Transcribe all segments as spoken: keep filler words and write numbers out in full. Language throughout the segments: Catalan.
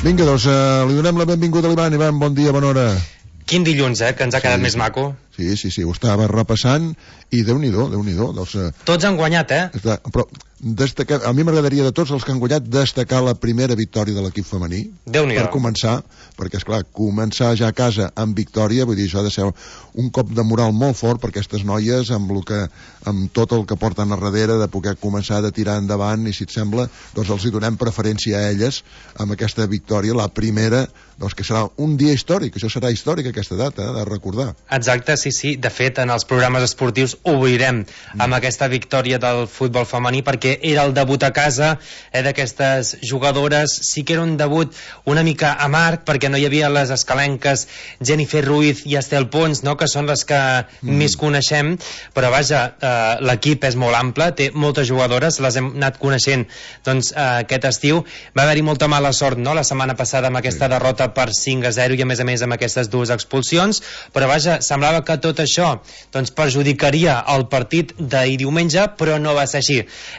Vinga, doncs uh, li donem la benvinguda a l'Ivan. Ivan, bon dia, bona hora. Quin dilluns, eh, que ens ha quedat sí, més maco. Sí, sí, sí, ho estava repassant i Déu-n'hi-do, Déu-n'hi-do. Doncs, uh, Tots han guanyat, eh? Està, però destacar, a mi m'agradaria de tots els que han guanyat destacar la primera victòria de l'equip femení. Déu-n'hi-do. Per començar, perquè, esclar, començar ja a casa amb victòria, vull dir, això ha de ser un cop de moral molt fort per aquestes noies, amb, lo que, amb tot el que porten a darrere, de poder començar a tirar endavant, i si et sembla, doncs els hi donem preferència a elles amb aquesta victòria, la primera, doncs que serà un dia històric, això serà històric aquesta data, eh, de recordar. Exacte, sí, sí. De fet, en els programes esportius obrirem mm. amb aquesta victòria del futbol femení, perquè era el debut a casa eh, d'aquestes jugadores. Sí que era un debut una mica amarg, perquè no hi havia les escalenques Jennifer Ruiz i Estel Pons, no?, que són les que mm. més coneixem, però vaja, eh, l'equip és molt ample, té moltes jugadores, les hem anat coneixent doncs, eh, aquest estiu. Va haver-hi molta mala sort, no?, la setmana passada amb aquesta sí. derrota per cinc a zero i a més a més amb aquestes dues expulsions, però vaja, semblava que tot això doncs, perjudicaria el partit d'ahir diumenge, però no va ser així.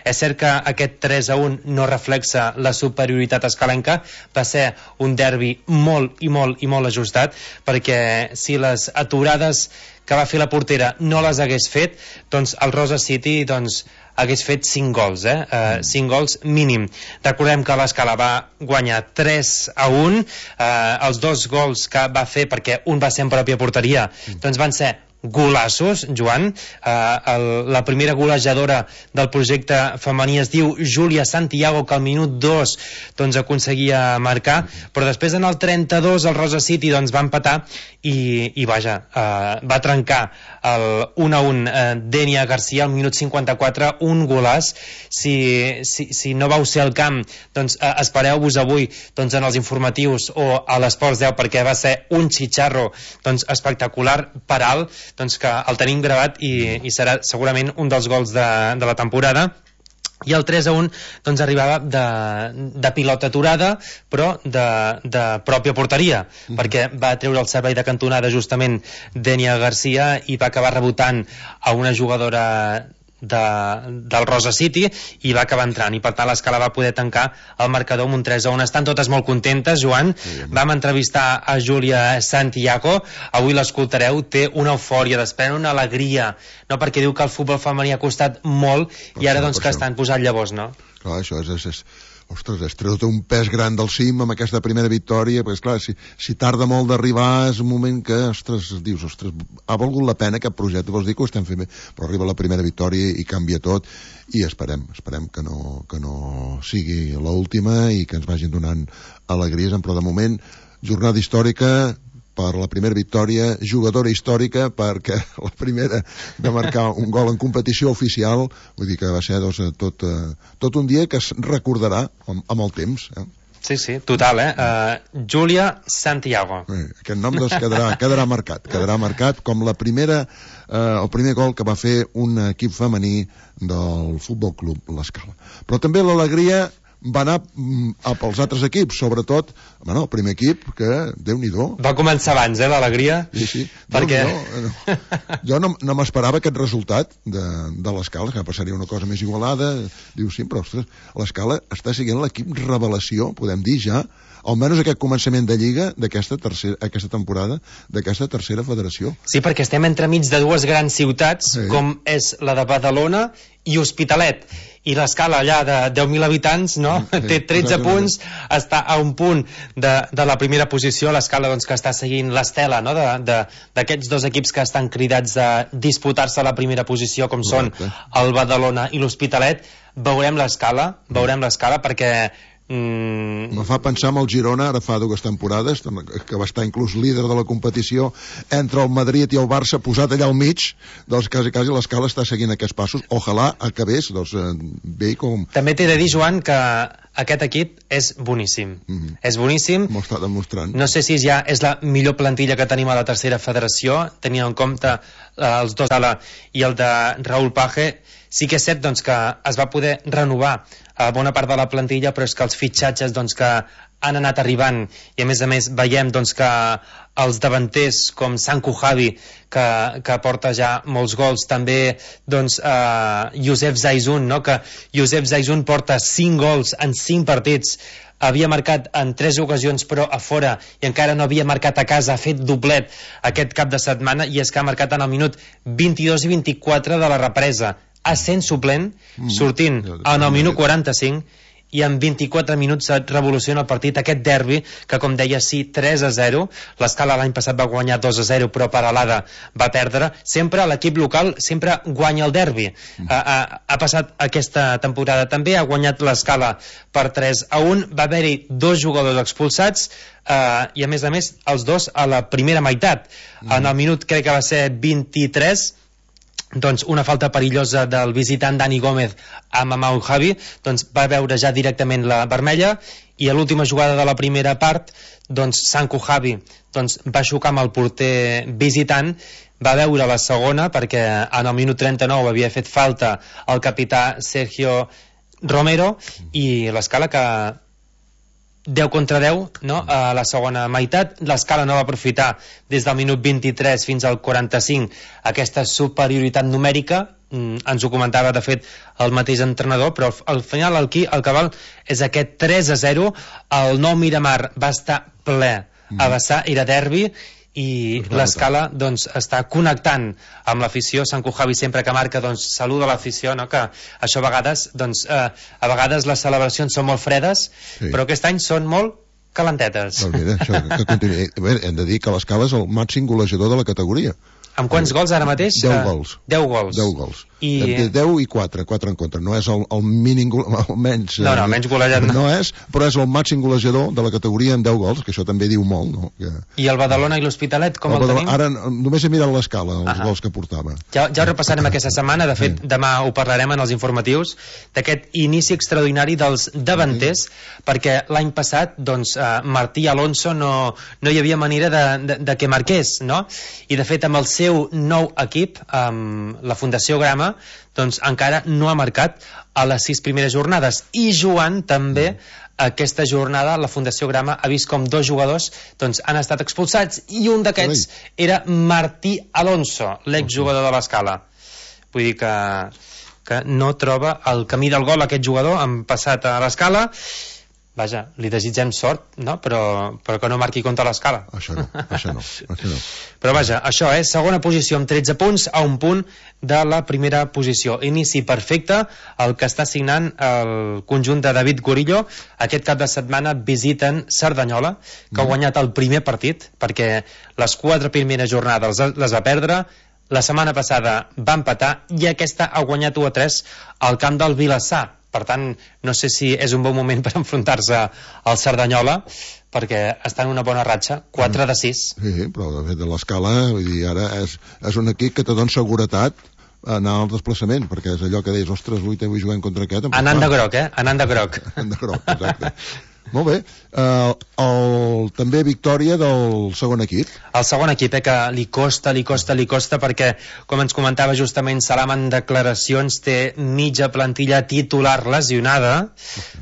És cert que aquest tres a un no reflexa la superioritat escalenca, va ser un derbi molt i molt i molt ajustat, perquè si les aturades que va fer la portera no les hagués fet, doncs el Rosa City doncs, hagués fet cinc gols, eh? Uh, cinc gols mínim. Recordem que l'Escala va guanyar tres a un, uh, els dos gols que va fer, perquè un va ser en pròpia porteria, doncs van ser golassos, Joan. Uh, el, la primera golejadora del projecte femení es diu Júlia Santiago, que al minut dos doncs, aconseguia marcar, però després en el trenta-dos el Rosa City doncs, va empatar i, i vaja, uh, va trencar el un a un uh, Denia Garcia al minut cinquanta-quatre, un golàs. Si, si, si no vau ser al camp, doncs uh, espereu-vos avui doncs, en els informatius o a l'Esports deu, perquè va ser un xitxarro doncs, espectacular per alt, doncs que el tenim gravat i, i serà segurament un dels gols de, de la temporada. I el tres a un doncs, arribava de, de pilota aturada, però de, de pròpia porteria, mm. perquè va treure el servei de cantonada justament Denia Garcia i va acabar rebotant a una jugadora de, del Rosa City i va acabar entrant, i per tant l'Escala va poder tancar el marcador amb un tres a un. Estan totes molt contentes, Joan. Sí, vam entrevistar a Júlia Santiago, avui l'escoltareu, té una eufòria, desprèn una alegria, no, perquè diu que el futbol femení ha costat molt per i ara doncs que estan posant llavors, no? Clar, això és, és, és ostres, es treu un pes gran del cim amb aquesta primera victòria, perquè esclar, si, si tarda molt d'arribar és un moment que, ostres, dius, ostres, ha valgut la pena aquest projecte, vols dir que ho estem fent bé, però arriba la primera victòria i canvia tot, i esperem, esperem que no, que no sigui l'última i que ens vagin donant alegries, però de moment, jornada històrica per la primera victòria, jugadora històrica perquè la primera de marcar un gol en competició oficial, vull dir que va ser doncs, tot, tot un dia que es recordarà amb, amb el temps, eh? Sí, sí, total, eh? Uh, Júlia Santiago. Eh, aquest nom doncs quedarà, quedarà marcat, quedarà marcat com la primera, eh, el primer gol que va fer un equip femení del Futbol Club l'Escala. Però també l'alegria va anar a pels altres equips, sobretot bueno, el primer equip, que Déu-n'hi-do. Va començar abans, eh, l'alegria? Sí, sí. Perquè... No, jo no, no m'esperava aquest resultat de, de l'Escala, que passaria una cosa més igualada. Diu, sí, però ostres, l'Escala està siguent l'equip revelació, podem dir ja, almenys aquest començament de Lliga d'aquesta tercera, aquesta temporada d'aquesta tercera federació. Sí, perquè estem entremig de dues grans ciutats, sí. com és la de Badalona i Hospitalet, i l'Escala allà de deu mil habitants, no? Sí, té tretze punts, està a un punt de, de la primera posició, l'Escala doncs, que està seguint l'estela, no? d'aquests dos equips que estan cridats a disputar-se la primera posició, com Correcte. Són el Badalona i l'Hospitalet. Veurem l'Escala, veurem l'Escala, perquè Mm. me fa pensar en el Girona ara fa dues temporades que va estar inclús líder de la competició entre el Madrid i el Barça posat allà al mig, doncs quasi quasi l'Escala està seguint aquests passos, ojalà acabés doncs, bé com... També t'he de dir, Joan, que aquest equip és boníssim, mm-hmm. és boníssim, m'ho està demostrant. No sé si ja és la millor plantilla que tenim a la tercera federació, tenint en compte eh, els dos d'Ala i el de Raúl Page. Sí que és cert doncs, que es va poder renovar a bona part de la plantilla, però és que els fitxatges doncs, que han anat arribant, i a més a més veiem doncs, que els davanters com Sanku Javi, que, que porta ja molts gols, també doncs, eh, Josep Zaizun, no? que Josep Zaizun porta cinc gols en cinc partits, havia marcat en tres ocasions però a fora i encara no havia marcat a casa, ha fet doblet aquest cap de setmana, i és que ha marcat en el minut vint-i-dos i vint-i-quatre de la represa, essent suplent, sortint en el minut quaranta-cinc, i en vint-i-quatre minuts et revoluciona el partit, aquest derbi, que com deia, sí, tres a zero, l'Escala l'any passat va guanyar dos a zero, però Peralada va perdre, sempre l'equip local sempre guanya el derbi, mm. ha, ha, ha passat aquesta temporada també, ha guanyat l'Escala per tres a un, va haver-hi dos jugadors expulsats, eh, i a més a més els dos a la primera meitat, mm. en el minut crec que va ser vint-i-tres, doncs una falta perillosa del visitant Dani Gómez a Mamau Javi, doncs va veure ja directament la vermella, i a l'última jugada de la primera part doncs Sanku Javi doncs, va xocar amb el porter visitant, va veure la segona perquè en el minut trenta-nou havia fet falta el capità Sergio Romero, i l'Escala que deu contra deu, no? A la segona meitat, l'Escala no va aprofitar des del minut vint-i-tres fins al quaranta-cinc aquesta superioritat numèrica, mm, ens ho comentava de fet el mateix entrenador, però al final el, qui, el que val és aquest tres a zero, el nou Miramar va estar ple a vessar, era derbi, i l'Escala doncs, està connectant amb l'afició. Sanku Javi sempre que marca doncs, saluda l'afició, no? Que això a vegades doncs, eh, a vegades les celebracions són molt fredes, sí. però aquest any són molt calentetes. Doncs mira, això, que continuï. Bé, hem de dir que l'Escala és el màxim golejador de la categoria. Amb quants gols ara mateix? deu gols. deu gols. deu gols. I... deu i quatre, quatre en contra. No és el, el mínim, el menys... No, no, el menys golejat no. No és, però és el màxim golejador de la categoria amb deu gols, que això també diu molt, no? Que... I el Badalona i l'Hospitalet, com el, el tenim? Ara només he mirat l'Escala, els uh -huh. gols que portava. Ja, ja ho repassarem aquesta setmana, de fet, sí. demà ho parlarem en els informatius, d'aquest inici extraordinari dels davanters, sí. perquè l'any passat, doncs, eh, Martí Alonso no, no hi havia manera de, de, de que marqués, no? I de fet, amb el seu nou equip, amb la Fundació Grama, doncs encara no ha marcat a les sis primeres jornades, i jugant també aquesta jornada la Fundació Grama ha vist com dos jugadors doncs, han estat expulsats, i un d'aquests era Martí Alonso, l'exjugador de l'Escala. Vull dir que, que no troba el camí del gol aquest jugador, han passat a l'Escala. Vaja, li desitgem sort, no? Però, però que no marqui contra l'Escala. Això no, això no, això no. Però vaja, això és segona posició amb tretze punts, a un punt de la primera posició. Inici perfecte, el que està signant el conjunt de David Gorillo. Aquest cap de setmana visiten Cerdanyola, que ha guanyat el primer partit, perquè les quatre primeres jornades les va perdre, la setmana passada va empatar, i aquesta ha guanyat u a tres al camp del Vilassar. Per tant, no sé si és un bon moment per enfrontar-se al Cerdanyola, perquè està en una bona ratxa, quatre de sis. Sí, però de fet de l'Escala, vull dir, ara és, és un equip que te dona seguretat anar al desplaçament, perquè és allò que deies, ostres, avui avui juguem contra aquest. Anant de groc, eh? Anant de groc. Anant de groc, exacte. Molt bé. Uh, el, també victòria del segon equip. El segon equip, eh, que li costa, li costa, li costa, perquè, com ens comentava justament Salam en declaracions, té mitja plantilla titular lesionada,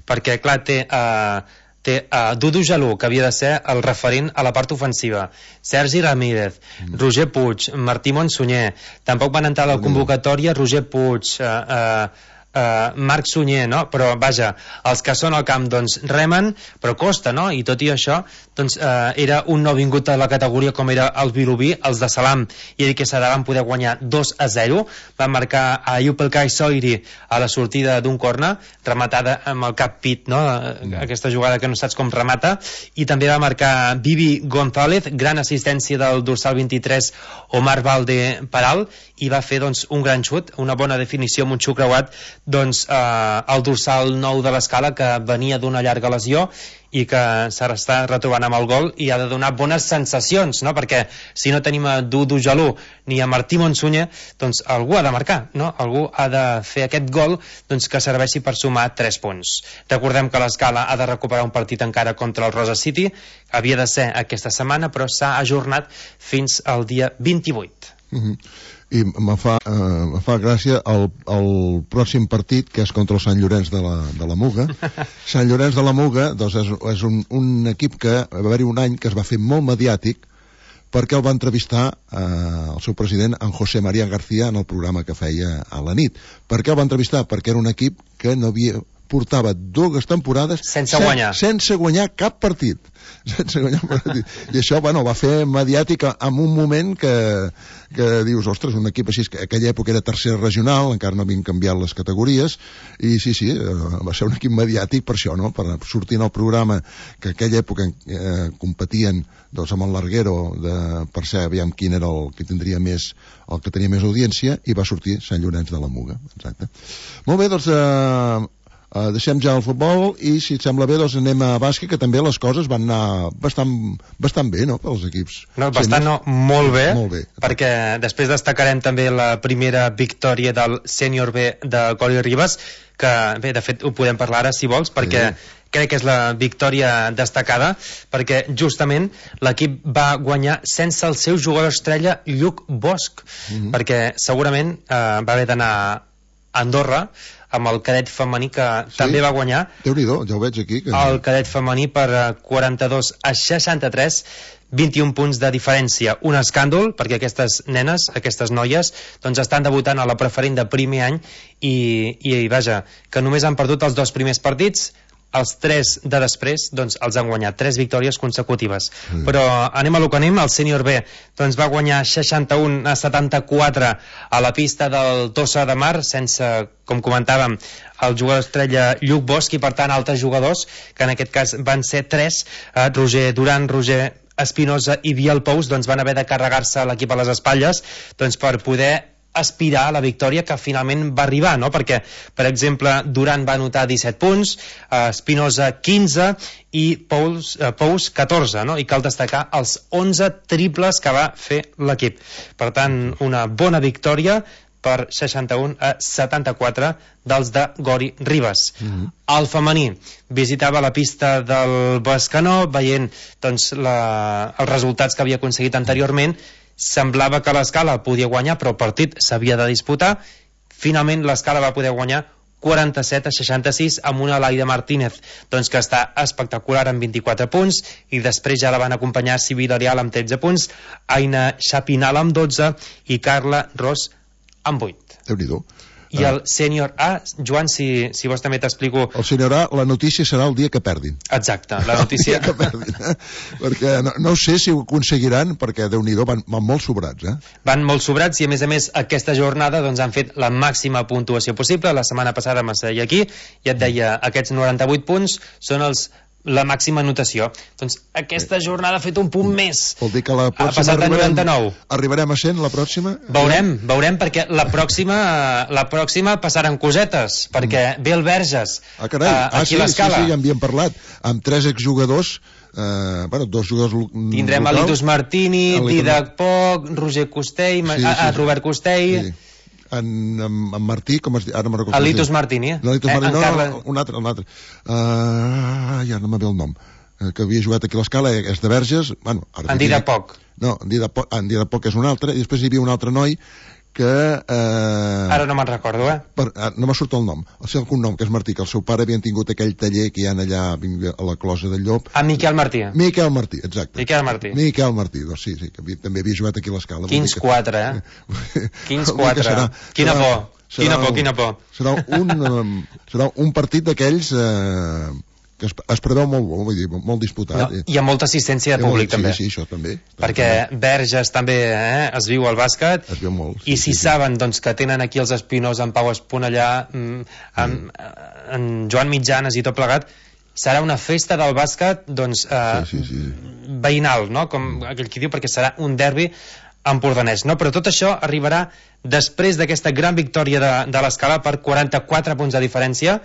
perquè, clar, té... Uh, té uh, Dudu Jalú, que havia de ser el referent a la part ofensiva, Sergi Ramírez, mm. Roger Puig, Martí Monsunyer, tampoc van entrar a la convocatòria Roger Puig, uh, uh, Uh, Marc Sunyer, no? Però vaja, els que són al camp doncs remen, però costa, no? I tot i això doncs uh, era un nou vingut a la categoria com era el Vilobí, els de Salam i Eric Quesada van poder guanyar dos a zero, van marcar a Ayub El Kai Soiri a la sortida d'un corna, rematada amb el cap pit, no? Mm. Aquesta jugada que no saps com remata, i també va marcar Vivi González, gran assistència del dorsal vint-i-tres Omar Valde Paral, i va fer doncs un gran xut, una bona definició amb un xut creuat doncs eh, el dorsal nou de l'Escala, que venia d'una llarga lesió i que s'està retrobant amb el gol i ha de donar bones sensacions, no? Perquè si no tenim a Dudu Jalú ni a Martí Monsunyer, doncs algú ha de marcar, no? Algú ha de fer aquest gol doncs, que serveixi per sumar tres punts. Recordem que l'Escala ha de recuperar un partit encara contra el Rosa City, havia de ser aquesta setmana, però s'ha ajornat fins al dia vint-i-vuit. Uh-huh. I me fa, uh, me fa gràcia el, el pròxim partit, que és contra el Sant Llorenç de la, de la Muga. Sant Llorenç de la Muga, doncs, és, és un, un equip que va haver-hi un any que es va fer molt mediàtic perquè el va entrevistar eh, el seu president, en José María García, en el programa que feia a la nit. Per què el va entrevistar? Perquè era un equip que no havia, portava dues temporades sense guanyar, sen, sense guanyar cap partit. Sense guanyar cap partit. I això, bueno, va fer mediàtic en un moment que, que dius, ostres, un equip així, que aquella època era tercera regional, encara no havien canviat les categories, i sí, sí, va ser un equip mediàtic per això, no?, per sortir en el programa, que aquella època eh, competien, doncs, amb el Larguero, de, per ser, aviam quin era el que tindria més, el que tenia més audiència, i va sortir Sant Llorenç de la Muga. Exacte. Molt bé, doncs, eh, Uh, deixem ja el futbol i, si et sembla bé, doncs anem a bàsquet, que també les coses van anar bastant, bastant bé, no?, pels equips. No, bastant no, molt bé, molt bé, perquè després destacarem també la primera victòria del sènior B de Coli Ribes, que bé, de fet ho podem parlar ara si vols, perquè sí, crec que és la victòria destacada, perquè justament l'equip va guanyar sense el seu jugador estrella Lluc Bosch, mm-hmm. perquè segurament eh, va haver d'anar a Andorra amb el cadet femení, que sí, també va guanyar. Déu-n'hi-do, ja ho veig aquí. Que... El cadet femení per quaranta-dos a seixanta-tres, vint-i-un punts de diferència. Un escàndol, perquè aquestes nenes, aquestes noies, doncs estan debutant a la preferent de primer any i, i vaja, que només han perdut els dos primers partits, els tres de després doncs els han guanyat, tres victòries consecutives. Mm. Però anem a lo que anem. El sènior B doncs va guanyar seixanta-un a setanta-quatre a la pista del Tossa de Mar, sense, com comentàvem, el jugador estrella Lluc Bosch, i per tant altres jugadors, que en aquest cas van ser tres, eh, Roger Duran, Roger Espinosa i Biel Pous, doncs van haver de carregar-se l'equip a les espatlles doncs per poder aspirar a la victòria, que finalment va arribar, no? Perquè, per exemple, Duran va anotar disset punts, Espinosa quinze i Pous, eh, Pous catorze, no? I cal destacar els onze triples que va fer l'equip. Per tant, una bona victòria per seixanta-un a setanta-quatre dels de Gori Ribes. Mm-hmm. El femení visitava la pista del Bescanó, veient doncs, la, els resultats que havia aconseguit anteriorment. Semblava que l'Escala podia guanyar, però el partit s'havia de disputar. Finalment l'Escala va poder guanyar quaranta-set a seixanta-sis amb una Laida Martínez doncs, que està espectacular amb vint-i-quatre punts, i després ja la van acompanyar Civil Arial amb tretze punts, Aina Chapinal amb dotze i Carla Ros amb vuit. Déu-n'hi-do. I el sènior A, Joan, si, si vols també t'explico... El sènior A, la notícia serà el dia que perdin. Exacte, la notícia... el dia que perdin, eh? Perquè no, no sé si ho aconseguiran, perquè Déu-n'hi-do, van, van molt sobrats, eh? Van molt sobrats, i a més a més aquesta jornada doncs, han fet la màxima puntuació possible. La setmana passada m'asseia aquí i et deia, aquests noranta-vuit punts són els... la màxima anotació. Doncs aquesta jornada ha fet un punt més. Vol dir que la pròxima ha passat a noranta-nou. Arribarem a cent la pròxima? Veurem, veurem, perquè la pròxima la pròxima passaran cosetes, perquè mm. ve el Verges ah, carai. Uh, ah, aquí sí, a l'Escala. Sí, sí, ja en havíem parlat. Amb tres exjugadors, eh, bueno, dos jugadors tindrem locals. Alitus Martini, Didac Poc, Roger Costell, sí, sí, sí. Robert Costell... Sí. En, en, en Martí, com es diu? Ara no recordo. Alitus Martini. No, Alitus eh, Martini, no, Carla... no, un altre, un altre. Uh, ja no me ve el nom. Uh, que havia jugat aquí a l'Escala, és de Verges. Bueno, en Didac Poc. No, en Didac Poc, en Didac Poc és un altre, i després hi havia un altre noi que... Eh, Ara no me'n recordo, eh? Per, no m'ha sortit el nom. El seu cognom, que és Martí, que el seu pare havien tingut aquell taller que hi ha allà a la Closa del Llop. A Miquel Martí. Miquel Martí, exacte. Miquel Martí. Miquel Martí, doncs sí, sí, que havia, també havia jugat aquí a l'Escala. Quins quatre, eh? Quins quatre. Serà, quina serà, por, serà, quina por, quina por. Serà un, um, serà un partit d'aquells... Eh, que es, es preveu molt bo, vull dir, molt disputat. No, hi ha molta assistència de públic, sí, també. Sí, sí, això també. Perquè també. Verges també eh, es viu al bàsquet. Es viu molt. Sí, I si sí, saben doncs, que tenen aquí els Espinós, en Pau Esponellà, mm, amb, mm. en Joan Mitjanes i tot plegat, serà una festa del bàsquet doncs, eh, sí, sí, sí. veïnal, no? Com aquell qui diu, perquè serà un derbi empordanès, no? Però tot això arribarà després d'aquesta gran victòria de, de l'Escala per quaranta-quatre punts de diferència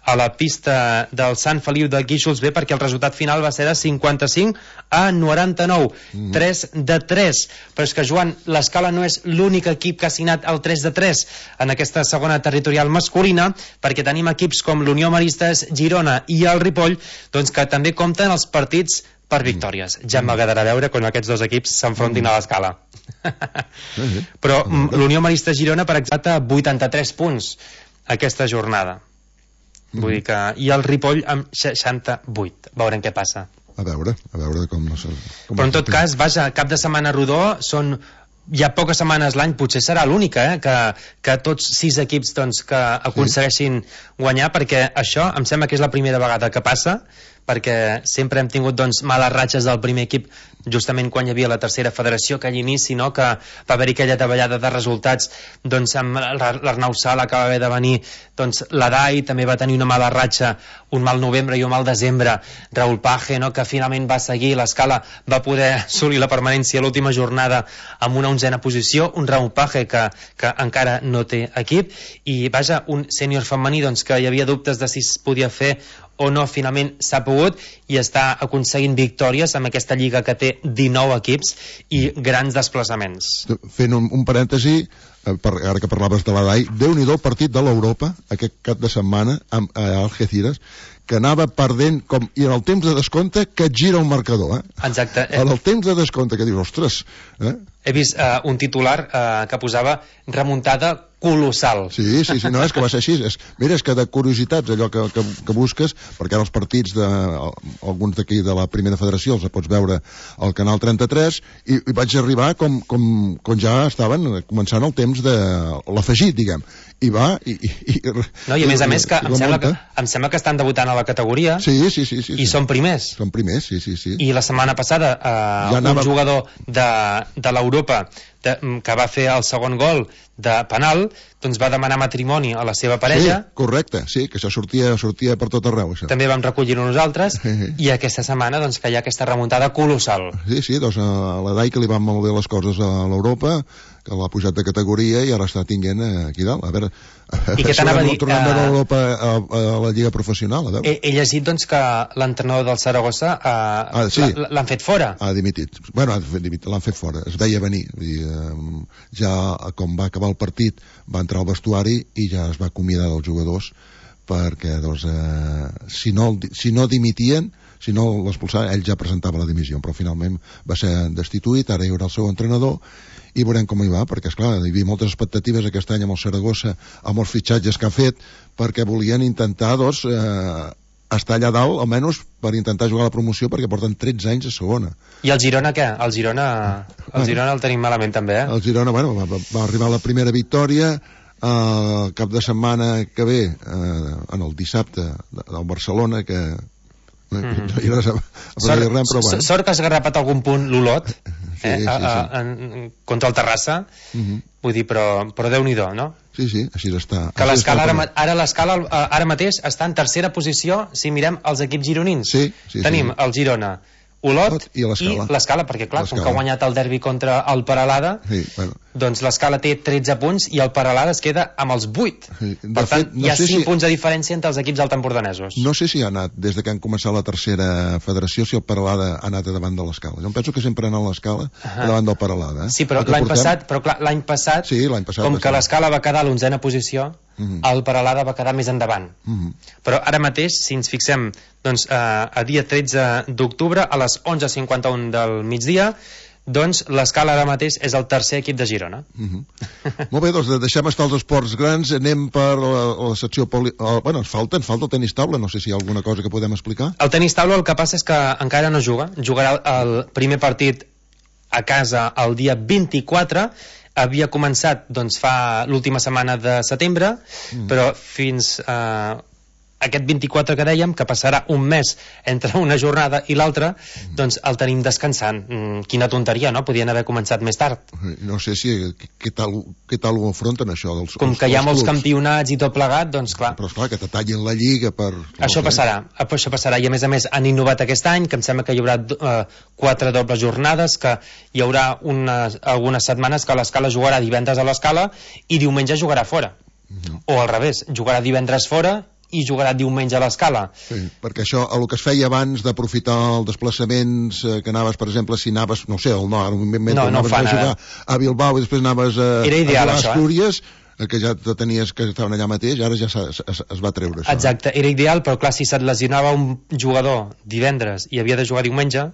a la pista del Sant Feliu de Guíxols B, perquè el resultat final va ser de cinquanta-cinc a noranta-nou, mm. tres de tres. Però és que, Joan, l'Escala no és l'únic equip que ha signat el tres de tres en aquesta segona territorial masculina, perquè tenim equips com l'Unió Maristes, Girona i el Ripoll, doncs que també compten els partits per victòries. Ja m'agradarà veure quan aquests dos equips s'enfrontin a l'Escala. Sí, sí. Però l'Unió Marista Girona, per exemple, vuitanta-tres punts aquesta jornada. Vull dir que... I el Ripoll amb seixanta-vuit. Veurem què passa. A veure, a veure com... No sé, com Però en tot cas, vaja, cap de setmana rodó són... Hi ha poques setmanes l'any, potser serà l'única, eh? que, que tots sis equips doncs, que aconsegueixin guanyar, perquè això em sembla que és la primera vegada que passa, perquè sempre hem tingut doncs, males ratxes del primer equip justament quan hi havia la tercera federació, aquell inici, no? que va haver-hi aquella davallada de resultats doncs, amb l'Arnau Sala, que va haver de venir doncs, l'Adai, també va tenir una mala ratxa, un mal novembre i un mal desembre, Raúl Page, no? que finalment va seguir l'Escala, va poder assolir la permanència a l'última jornada amb una onzena posició, un Raúl Page que, que encara no té equip, i vaja, un sènior femení doncs, que hi havia dubtes de si es podia fer o no, finalment s'ha pogut i està aconseguint victòries amb aquesta lliga que té dinou equips i grans desplaçaments. Fent un, un parèntesi, per, ara que parlaves de l'Adai, Déu-n'hi-do el partit de l'Europa aquest cap de setmana amb eh, Algeciras, que anava perdent com, i en el temps de descompte que et gira un marcador, eh? Exacte. En el temps de descompte que dius, ostres, eh? He vist uh, un titular uh, que posava remuntada colossal. Sí, sí, sí, no, és que va ser així. És, mira, és que de curiositats, allò que, que, que busques, perquè ara els partits de, alguns d'aquí de la primera federació els pots veure al canal trenta-tres, i, i vaig arribar com, com, com ja estaven començant el temps de l'afegit, diguem. I va, i... i, i no, i a més a més que em sembla que, em sembla que estan debutant a la categoria. Sí, sí, sí. sí i sí. són primers. Són primers, sí, sí, sí. I la setmana passada eh, ja anava... un jugador de, de l'Europa de, que va fer el segon gol de penal, doncs va demanar matrimoni a la seva parella. Sí, correcte, sí, que això sortia, sortia per tot arreu, això. També vam recollir-ho nosaltres, i aquesta setmana doncs que hi ha aquesta remuntada colossal. Sí, sí, doncs a la Dai que li van molt bé les coses a l'Europa, que l'ha pujat de categoria i ara està tinguent aquí dalt. A veure, a I què t'anava a dir? Tornant de l'Europa a, a la Lliga Professional, a veure. He, he llegit doncs que l'entrenador del Saragossa eh, ah, sí. l'han fet fora. Ha dimitit. Bueno, l'han fet fora, es veia venir. Vull dir, eh, ja com va acabar el partit va entrar al vestuari i ja es va acomiadar dels jugadors perquè doncs, eh, si, no, si no dimitien, si no l'expulsaven, ell ja presentava la dimissió, però finalment va ser destituït, ara hi haurà el seu entrenador i veurem com hi va, perquè esclar, hi havia moltes expectatives aquest any amb el Saragossa, amb els fitxatges que ha fet, perquè volien intentar doncs, eh, estar allà dalt, almenys per intentar jugar a la promoció, perquè porten tretze anys a segona. I el Girona què? El Girona el, Girona el tenim malament també, eh? El Girona, bueno, va, va arribar a la primera victòria, el cap de setmana que ve, eh, en el dissabte del Barcelona, que no hi ha res a, a sort, res, però bueno. Sort que has agarrapat algun punt l'Olot, sí, eh, sí, a, a, sí. en, contra el Terrassa, uh -huh. vull dir, però, però Déu-n'hi-do, no? Sí, sí, així està. Que l'escala ara, ara l'escala ara mateix està en tercera posició si mirem els equips gironins. Sí, sí, tenim sí. el Girona, Olot i l'Escala, perquè clar, com que ha guanyat el derbi contra el Peralada, sí, bueno. doncs l'Escala té tretze punts i el Peralada es queda amb els vuit. Sí. Per tant, fet, no hi ha sé cinc si... punts de diferència entre els equips altempordanesos. No sé si ha anat, des de que han començat la tercera federació, si el Peralada ha anat davant de l'Escala. Jo em penso que sempre ha anat a l'Escala uh-huh. davant del Peralada. Eh? Sí, però l'any portem... passat, però clar, l'any passat, sí, passat com que l'Escala va quedar a l'onzena posició, Uh-huh. el Peralada va quedar més endavant. Uh-huh. Però ara mateix, si ens fixem doncs, eh, a dia tretze d'octubre a les onze cinquanta-u del migdia, doncs l'Escala ara mateix és el tercer equip de Girona. Uh-huh. Molt bé, doncs deixem estar els esports grans, anem per la, la secció poli... Oh, bueno, ens falta, ens falta el tenis taula, no sé si hi ha alguna cosa que podem explicar. El tenis taula el que passa és que encara no juga, jugarà el primer partit a casa el dia vint-i-quatre, havia començat doncs, fa l'última setmana de setembre, mm. però fins eh, aquest vint-i-quatre que dèiem, que passarà un mes entre una jornada i l'altra, mm. doncs el tenim descansant. Mm, quina tonteria, no? Podien haver començat més tard. No sé si què tal, què tal ho afronten això dels, com que hi ha molts clubs. Campionats i tot plegat, doncs clar. Però esclar, que te tallin la lliga per... Això no passarà, això passarà, i a més a més han innovat aquest any, que em sembla que hi haurà eh, quatre dobles jornades, que hi haurà unes, algunes setmanes que l'Escala jugarà divendres a l'Escala i diumenge jugarà fora. Mm-hmm. O al revés, jugarà divendres fora i jugarà diumenge a l'Escala. Sí, perquè això, el que es feia abans d'aprofitar els desplaçaments eh, que anaves, per exemple, si anaves, no sé, al nord, no, no anaves a jugar ara. a Bilbao i després anaves a, Era ideal, a això, Astúries, eh? que ja tenies que estaven allà mateix, ara ja es, es, es va treure això. Exacte, era ideal, però clar, si se't lesionava un jugador divendres i havia de jugar diumenge,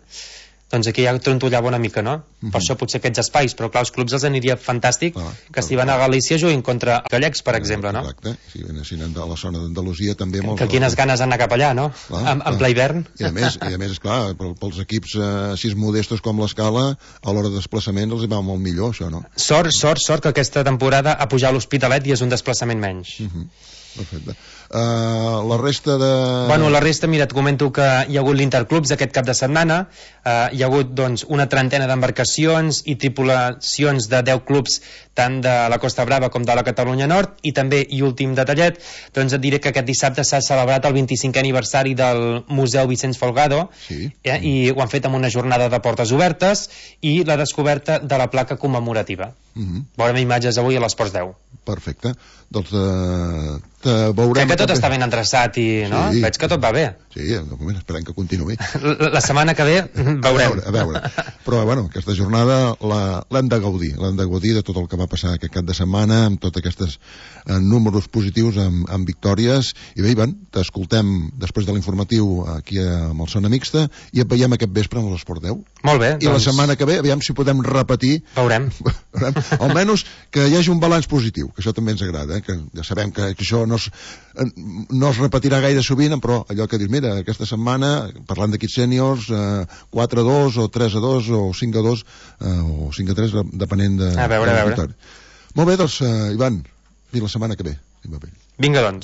doncs aquí ja trontollava una mica, no? Uh-huh. Per això potser aquests espais, però clar, els clubs els aniria fantàstic ah, que si van a Galícia juguin contra gallecs, per ah, exemple, no? Exacte, si venessin a la zona d'Andalusia també molts... Que quines ganes d'anar cap allà, no? Clar, en, en ple hivern. I a més, i a més esclar, pels equips eh, així modestos com l'Escala, a l'hora de desplaçament els hi va molt millor, això, no? Sort, sort, sort que aquesta temporada ha pujat a l'Hospitalet i és un desplaçament menys. Uh-huh. Perfecte. Uh, la resta de... Bueno, la resta, mira, et comento que hi ha hagut l'Interclubs aquest cap de setmana, uh, hi ha hagut doncs, una trentena d'embarcacions i tripulacions de deu clubs tant de la Costa Brava com de la Catalunya Nord, i també, i últim detallet, doncs et diré que aquest dissabte s'ha celebrat el vint-i-cinquè aniversari del Museu Vicenç Folgado, sí. eh, i ho han fet amb una jornada de portes obertes i la descoberta de la placa commemorativa. Uh-huh. Veurem imatges avui a l'Esports deu. Perfecte. Doncs eh, te veurem... Crec que tot està ben endreçat i no? Sí. Veig que tot va bé. Sí, de moment esperem que continuï. La, la setmana que ve veurem. A veure, a veure. Però, bueno, aquesta jornada l'hem de gaudir. L'hem de gaudir de tot el que va passar aquest cap de setmana, amb tots aquests eh, números positius, amb, amb victòries. I bé, Ivan, t'escoltem després de l'informatiu aquí amb el Zona Mixta i et veiem aquest vespre amb l'Esport deu. Molt bé. I doncs... la setmana que ve, aviam si podem repetir... Veurem. veurem. Almenys que hi hagi un balanç positiu, que això també ens agrada, eh? Que ja sabem que, que això no es, no es repetirà gaire sovint, però allò que dius, mira, aquesta setmana, parlant d'equips sèniors, eh, quatre a dos o tres a dos o cinc a dos eh, o cinc a tres, depenent de... A veure, a veure. Molt bé, doncs, eh, Ivan, fins la setmana que ve. Vinga, doncs.